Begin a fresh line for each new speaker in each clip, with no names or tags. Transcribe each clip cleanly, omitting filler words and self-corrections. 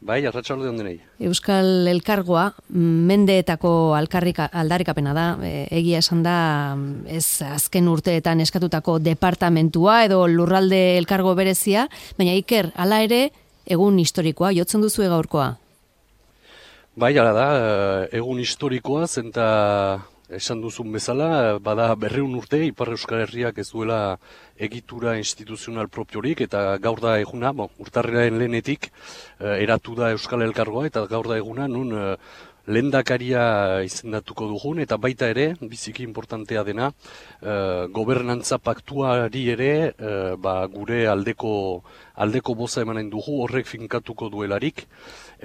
Bai, arratsalde on denei.
Euskal Elkargoa mendeetako aldarrikapena da, egia esan da ez azken urteetan eskatutako departamentua edo lurralde elkargo berezia, baina Iker, hala ere egun historikoa, jotzen duzu gaurkoa?
Bai, hala da, egun historikoa zenta esan duzun bezala, bada 200 urte Ipar Euskal Herriak ez duela egitura instituzional propiorik, eta gaur da eguna, urtarrilaren lehenetik eratu da Euskal Elkargoa, eta gaur da eguna nun lehendakaria izendatuko dugun, eta baita ere, biziki importantea dena, gobernantza paktuari ere gure aldeko boza emanen dugu, horrek finkatuko duelarik,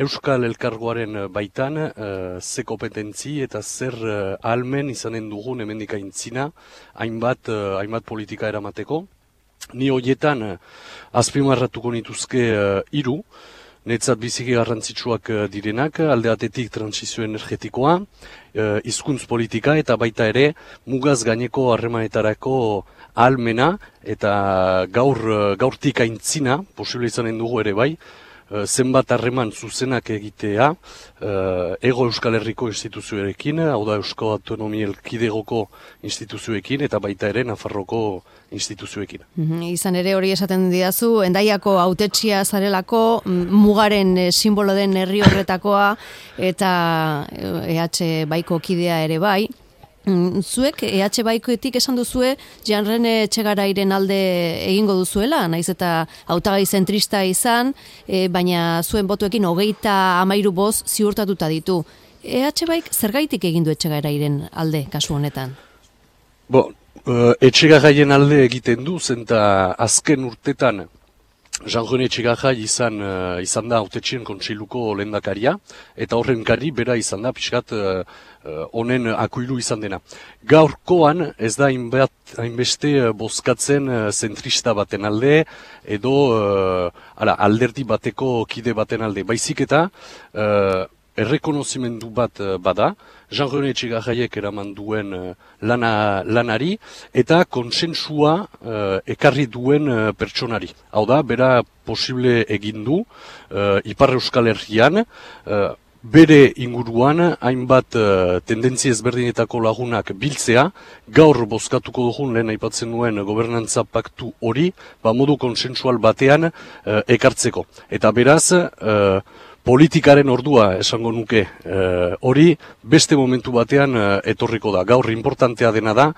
Euskal Elkargoaren baitan ze kompetentzi eta zer ahalmen izanen dugun hemendik aintzina hainbat politika eramateko. Ni horietan azpimarratuko nituzke 3, netzat biziki garrantzitsuak direnak, alde batetik trantsizio energetikoa, hizkuntz politika eta baita ere mugaz gaineko harremanetarako ahalmena eta gaurtik aintzina, posible izanen dugu ere bai, zenbat harreman zuzenak egitea Hego Euskal Herriko instituzioekin, hau da Euskal Autonomia Erkidegoko instituzioekin eta baita ere Nafarroko instituzioekin.
Izan ere hori esaten didazu, Hendaiako hautetsia zarelako, mugaren simbolo den herri horretakoa eta EH Baiko kidea ere bai. Zuek EH Baikoetik esan duzue Jean-René Etxegarairen alde egingo duzuela, naiz eta hautagai zentrista izan, baina zuen botuekin 33 boz ziurtatuta ditu. EH Baik zergaitik egin du Etxegarairen alde kasu honetan?
Etxegaraien alde egiten du, zenta azken urtetan Jean-René Etxegarai izan da hautetxien kontseiluko lehendakaria, eta horren kari bera izan da pixkat honen akuilu izan dena. Gaurkoan ez da hainbeste bozkatzen zentrista baten alde, edo alderdi bateko kide baten alde. Baizik eta errekonozimendu bat bada, Jean-René Etxegaraiek eraman duen lanari, eta konsensua ekarri duen pertsonari. Hau da, bera posible egin du Ipar Euskal Herrian, bere inguruan hainbat tendentzia ezberdinetako lagunak biltzea, gaur bozkatuko dugun lehen aipatzen nuen gobernantza paktu hori, modu konsensual batean ekartzeko. Eta beraz, politikaren ordua esango nuke hori beste momentu batean etorriko da. Gaur importantea dena da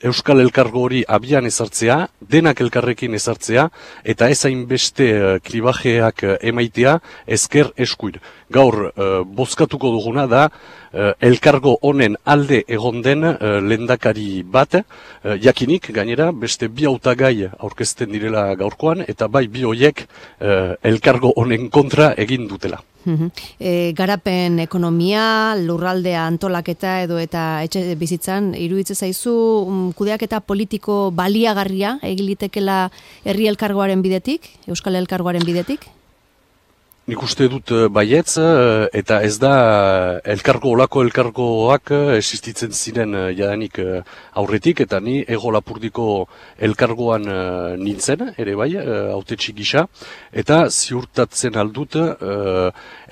Euskal Elkargo hori abian ezartzea, denak elkarrekin ezartzea, eta ez hainbeste kribajeak emaitea ezker eskuin. Gaur bozkatuko duguna da elkargo honen alde egon den lehendakari bat, jakinik gainera beste 2 hautagai aurkezten direla gaurkoan, eta bai 2 horiek elkargo honen kontra egin dutela.
Garapen ekonomia, lurraldea antolaketa edo eta etxe bizitzan, iruditzen zaizu kudeaketa politiko baliagarria egilitekela herri elkargoaren bidetik, Euskal Elkargoaren bidetik?
Nik uste dut baietz, eta ez da olako elkargoak existitzen ziren jadanik aurretik, eta ni Hego Lapurdiko elkargoan nintzen, ere bai, hautetsi gisa, eta ziurtatzen aldut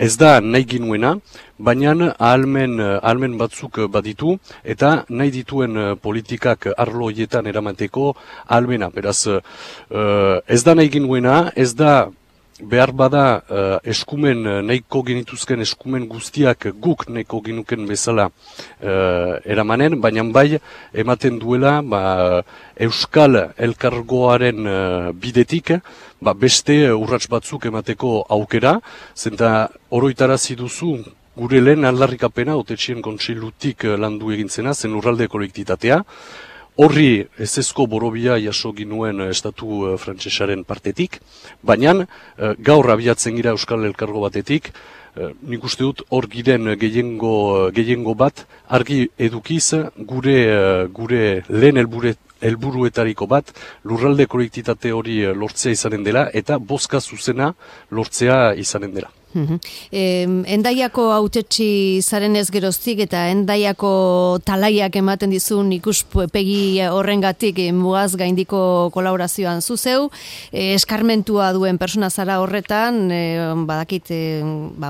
ez da nahi ginuena, baina ahalmen batzuk baditu, eta nahi dituen politikak arlo horietan eramateko ahalmena. Beraz, ez da nahi ginuena, ez da behar bada eskumen nahiko genituzken eskumen guztiak guk nahiko genuken bezala eramanen, baina bai ematen duela Euskal Elkargoaren bidetik beste urrats batzuk emateko aukera, zenta oroitarazi duzu gure lehen aldarrikapena hautetxien kontseilutik landu egintzena, zen lurralde kolektitatea. Horri ezezko borobia jaso ginuen estatu frantsesaren partetik, baina gaur abiatzen gira Euskal Elkargo batetik, nik uste dut hor giren gehiengo bat argi edukiz gure lehen helburuetariko bat lurralde kolektitate hori lortzea izanen dela eta bozka zuzena lortzea izanen dela.
Endaiako hautetsi zaren ez geroztik eta Endaiako talaiak ematen dizun ikuspegi horrengatik mugaz gaindiko kolaborazioan zuzeu, eskarmentua duen persona zara horretan, badakit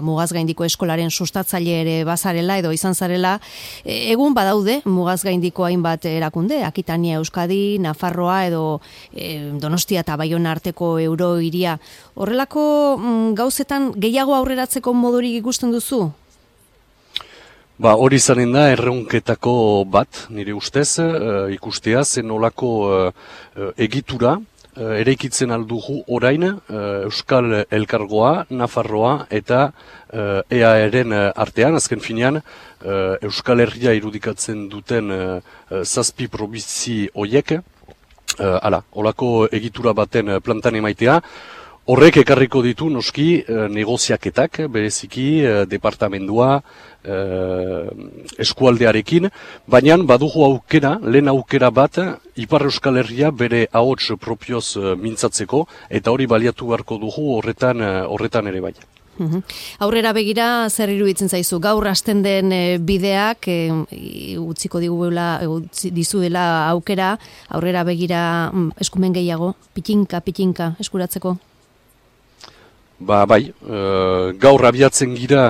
mugaz gaindiko eskolaren sustatzaile ere bazarela edo izan zarela, egun badaude mugaz gaindiko hainbat erakunde, Akitania Euskadi, Nafarroa edo Donostia eta Baiona arteko eurohiria. Horrelako gauzetan gehiago aurreratzeko modurik ikusten duzu?
Hori izanen da erronketako bat, nire ustez, ikustea zen olako egitura, eraikitzen aldugu orain Euskal Elkargoa, Nafarroa eta EAR-en artean, azken finean, Euskal Herria irudikatzen duten zazpi probintzi hoiek, olako egitura baten plantan emaitea. Horrek ekarriko ditu noski negoziaketak, bereziki departamendua, eskualdearekin, baina badugu aukera, lehen aukera bat, Ipar Euskal Herria bere ahots propioz mintzatzeko, eta hori baliatu beharko dugu horretan ere bai.
Aurrera begira, zer iruditzen zaizu? Gaur hasten den bideak, utziko dizuela aukera, aurrera begira eskumen gehiago, pitinka eskuratzeko?
Bai, gaur abiatzen gira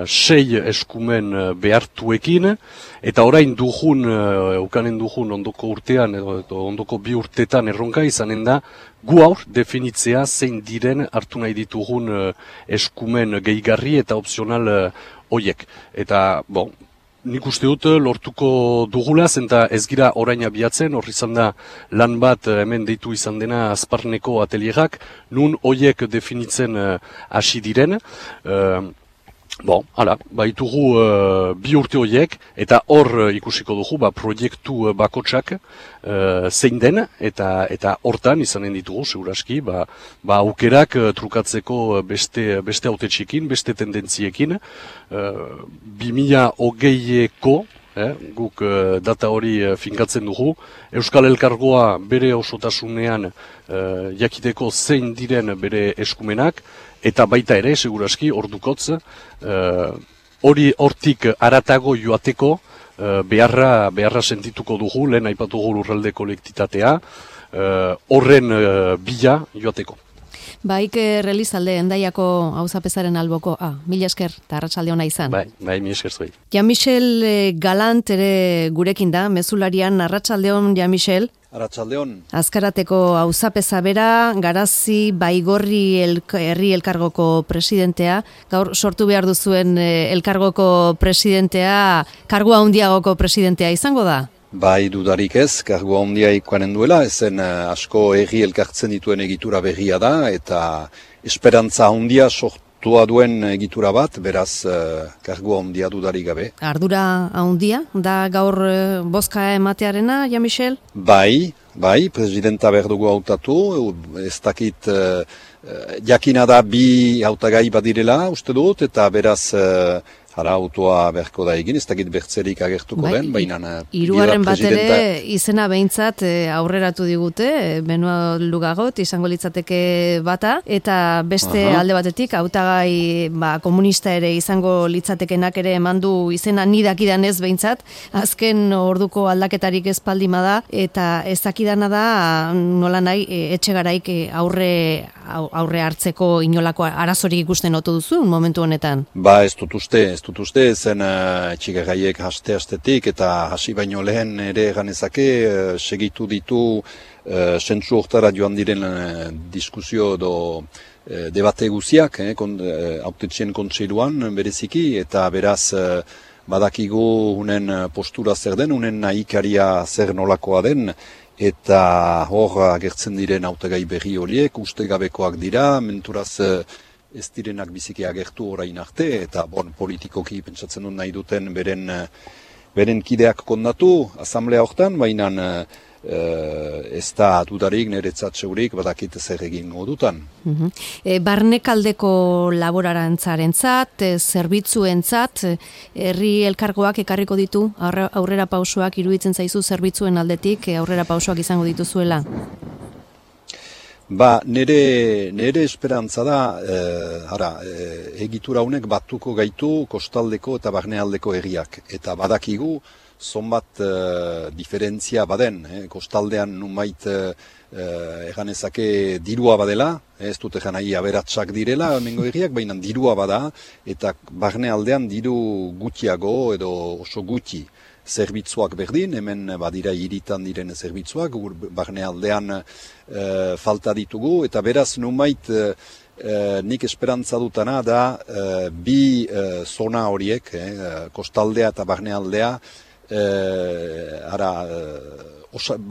6 eskumen behartuekin, eta orain ukanen dugun ondoko urtean, edo ondoko 2 urtetan erronka izanen da, gu aur definitzea zein diren hartu nahi ditugun eskumen gehigarri eta opzional hoiek. Eta, nik uste dut lortuko dugula, zenta ez gira orain abiatzen, horri izan da lan bat hemen deitu izan dena Azparneko atelierak, nun hoiek definitzen hasi diren. Baitugu 2 urte hoiek, eta hor ikusiko dugu, proiektu bakotsak zein den, eta hortan izanen ditugu, seguraski, aukerak trukatzeko beste hautetxekin, beste tendentziekin, 2020eko, guk data hori finkatzen dugu, Euskal Elkargoa bere osotasunean jakiteko zein diren bere eskumenak, eta baita ere, seguraski, ordukotz, hortik aratago joateko beharra sentituko dugu, lehen aipatugu lurralde kolektitatea, horren bila joateko.
Iker Elizalde, Endaiako auzapezaren alboko, mila esker, eta arratsalde ona izan.
Bai, mila esker zuei.
Jean-Michel Galant ere gurekin da, mezularian, arratsalde on, Jean-Michel.
Arratsaldeon.
Azkarateko auzapeza bera, Garazi Baigorri herri elkargoko presidentea, gaur sortu behar duzuen elkargoko presidentea, kargua handiagoko presidentea izango da?
Bai, dudarik ez, kargua handia ikuanen duela, ezen asko herri elkartzen dituen egitura berria da, eta esperantza handia sortua duen egitura bat, beraz kargua handia dudarik gabe.
Ardura handia, da gaur bozka ematearena, Jean-Michel?
Bai, presidenta behar dugu hautatu, ez dakit jakina da 2 hautagai badirela, uste dut, eta beraz autoa beharko da egin, ez dakit bertzerik agertuko den, baina...
3. bat ere izena behintzat aurreratu digute, Benoa Lugagot izango litzateke bata, eta beste alde batetik, hautagai komunista ere izango litzatekenak ere emandu izena nidakidan ez behintzat, azken orduko aldaketarik ez paldima da, eta ez dakidana da nola nahi etxegaraik aurre hartzeko inolako arazorik ikusten otu duzu momentu honetan?
Ez dut uste, zen etxegaraiek hastetik eta hasi baino lehen ere ganezake segitu ditu sentsu hortara joan diren diskusio edo debate guziak, hautetxien kontseiluan bereziki, eta beraz badakigu unen postura zer den, unen nahikaria zer nolakoa den, eta hor agertzen diren hautagai berri horiek, ustegabekoak dira, menturaz ez direnak biziki agertu orain arte, eta politikoki pentsatzen dut nahi duten beren kideak kondatu, asamblea hortan, baina ez da dudarik niretzat zeurik badakit zer egingo dutan.
Barnekaldeko laborantzarentzat, zerbitzuentzat, herri elkargoak ekarriko ditu aurrera pausoak, iruditzen zaizu zerbitzuen aldetik aurrera pausoak izango dituzuela?
Nere esperantza da, egitura honek batuko gaitu kostaldeko eta barnealdeko herriak. Eta badakigu, zonbat diferentzia baden, kostaldean numait eganezake dirua badela, ez dut egan nahi aberatsak direla, hemengo herriak, baina dirua bada, eta barnealdean diru gutxiago edo oso gutxi. Zerbitzuak berdin, hemen badira hiritan diren zerbitzuak, barnealdean falta ditugu, eta beraz numait nik esperantza dutana da bi zona horiek, kostaldea eta barnealdea,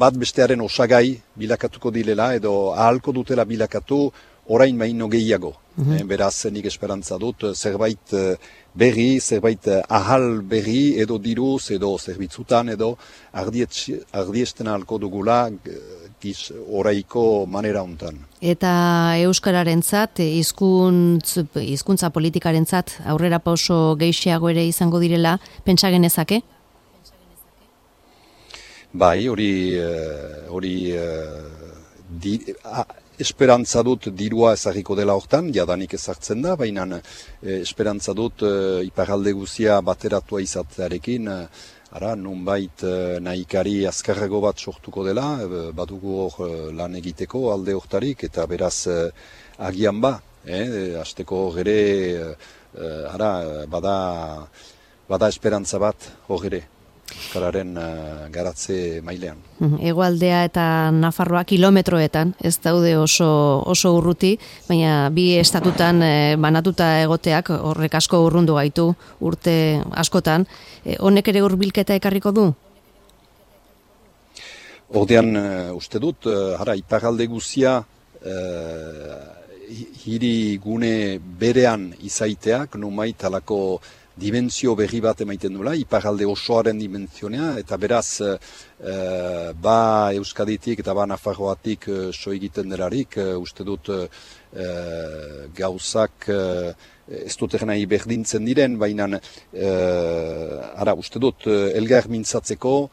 bat bestearen osagai bilakatuko dilela, edo ahalko dutela bilakatu orain baino gehiago. Beraz, nik esperantza dut, zerbait berri, zerbait ahal berri, edo diruz, edo zerbitzutan, edo ardiesten ahalko dugula oraiko manera hontan.
Eta euskararentzat, hizkuntza politikarentzat aurrera pauso gehiago ere izango direla, pentsa genezake?
Bai, esperantza dut dirua ezagiko dela hortan, jadanik ezartzen da, baina esperantza dut iparralde guzia bateratua izatearekin, nunbait nahikari azkarrago bat sortuko dela, badugu hor lan egiteko alde hortarik, eta beraz agian hasteko gere, bada esperantza bat hor ere. Euskararen garatze mailean.
Hegoaldea eta Nafarroa kilometroetan, ez daude oso urruti, baina bi estatutan banatuta egoteak horrek asko urrundu gaitu urte askotan. Honek ere hurbilketa ekarriko du?
Ordean uste dut, iparralde guzia hiri gune berean izaiteak, numait halako dimentsio berri bat emaiten duela, iparralde osoaren dimentsionea, eta beraz, Euskaditik eta Nafarroatik so egiten delarik, uste dut gauzak ez dut nahi berdintzen diren, baina uste dut elgar mintzatzeko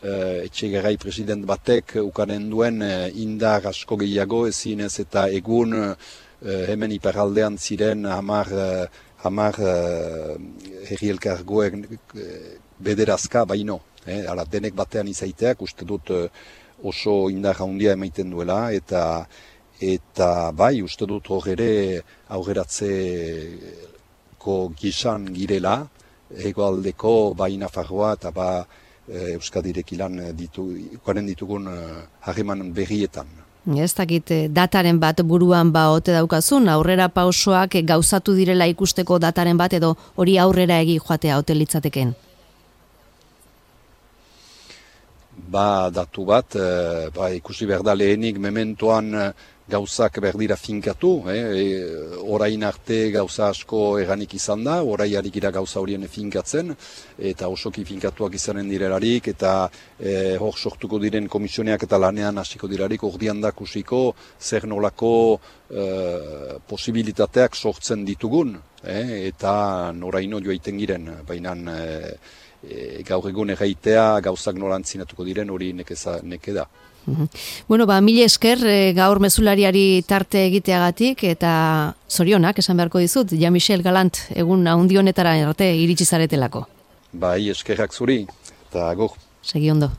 Etxegarai president batek ukanen duen indar asko gehiago ezinez eta egun hemen iparraldean ziren hamar herri elkargoek bederazka baino. Denek batean izaiteak uste dut oso indar handia emaiten duela eta bai uste dut hor ere aurreratzeko gisan girela hegoaldeko bai Nafarroa eta Euskadirekin lan ditugun harreman berrietan.
Ez dakit dataren bat buruan ote daukazun, aurrera pausoak gauzatu direla ikusteko dataren bat edo hori aurrera egi joatea ote litzateken?
Datu bat, ikusi behar da lehenik mementoan gauzak berdira finkatu, orain arte gauza asko eganik izan da, orai harikira gauza horien finkatzen, eta osoki finkatuak izanen direlarik, eta hor sortuko diren komisioneak eta lanean hasiko dirarik, ordian da kusiko zer nolako posibilitateak sortzen ditugun, eta noraino joaiten giren, baina gaur egun erraitea gauzak norantzinatuko diren hori neke da.
Bueno, mila esker gaur mezulariari tarte egiteagatik eta zorionak esan beharko dizut, Jean-Michel Galant egun handi honetara arte iritsi zaretelako.
Bai, eskerrak zuri eta agur.
Segi ondo.